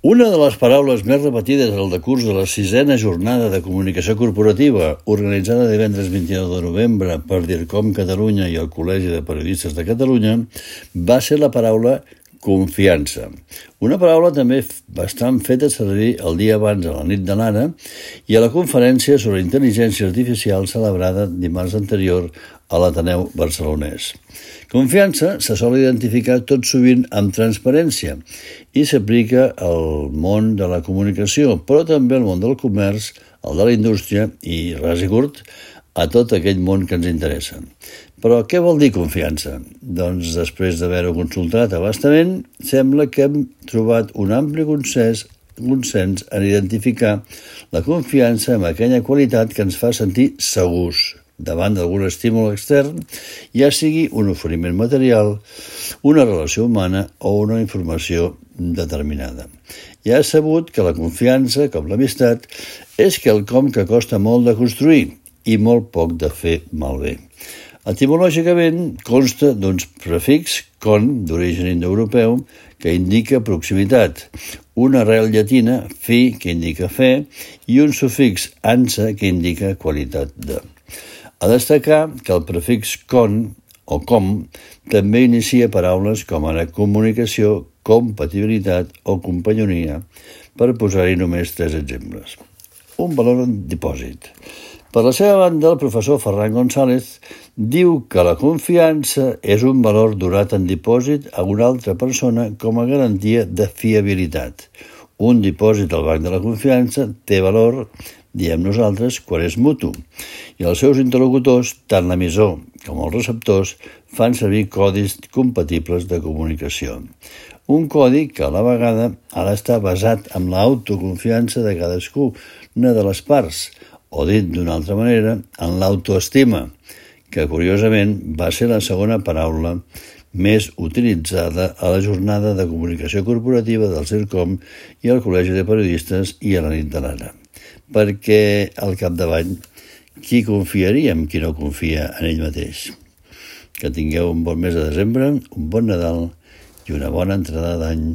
Una de les paraules més repetides al decurs de la 6a jornada de comunicació corporativa, organitzada divendres 29 de novembre per DIRCOM Catalunya i el Col·legi de Periodistes de Catalunya, va ser la paraula confiança. Una paraula també bastant feta servir el dia abans a la nit de l'ara i a la conferència sobre intel·ligència artificial celebrada dimarts anterior a l'Ateneu Barcelonès. Confiança se sol identificar tot sovint amb transparència i s'aplica al món de la comunicació, però també al món del comerç, al de la indústria i, ras i curt, a tot aquell món que ens interessa. Però què vol dir confiança? Doncs després d'haver-ho consultat a bastament, sembla que hem trobat un ampli consens en identificar la confiança amb aquella qualitat que ens fa sentir segurs davant d'algun estímul extern, ja sigui un oferiment material, una relació humana o una informació determinada. Ja és sabut que la confiança, com l'amistat, és quelcom que costa molt de construir i molt poc de fer malbé. Etimològicament consta d'un prefix con, d'origen indoeuropeu, que indica proximitat, una arrel llatina, fi, que indica fe, i un sufix ansa, que indica qualitat de. A destacar que el prefix con o com també inicia paraules com ara comunicació, compatibilitat o companyonia, per posar-hi només 3 exemples. Un valor en dipòsit. Per la seva banda, el professor Ferran González diu que la confiança és un valor donat en dipòsit a una altra persona com a garantia de fiabilitat. Un dipòsit al banc de la confiança té valor, diem nosaltres, quan és mutu, i els seus interlocutors, tant l'emissor com els receptors, fan servir codis compatibles de comunicació. Un codi que a la vegada ha d'estar basat en l'autoconfiança de cadascuna de les parts, o dit d'una altra manera, en l'autoestima, que curiosament va ser la segona paraula més utilitzada a la jornada de comunicació corporativa del CIRCOM i al Col·legi de Periodistes i a la nit de l'ara. Perquè al capdavall, qui confiaria en qui no confia en ell mateix? Que tingueu un bon mes de desembre, un bon Nadal i una bona entrada d'any.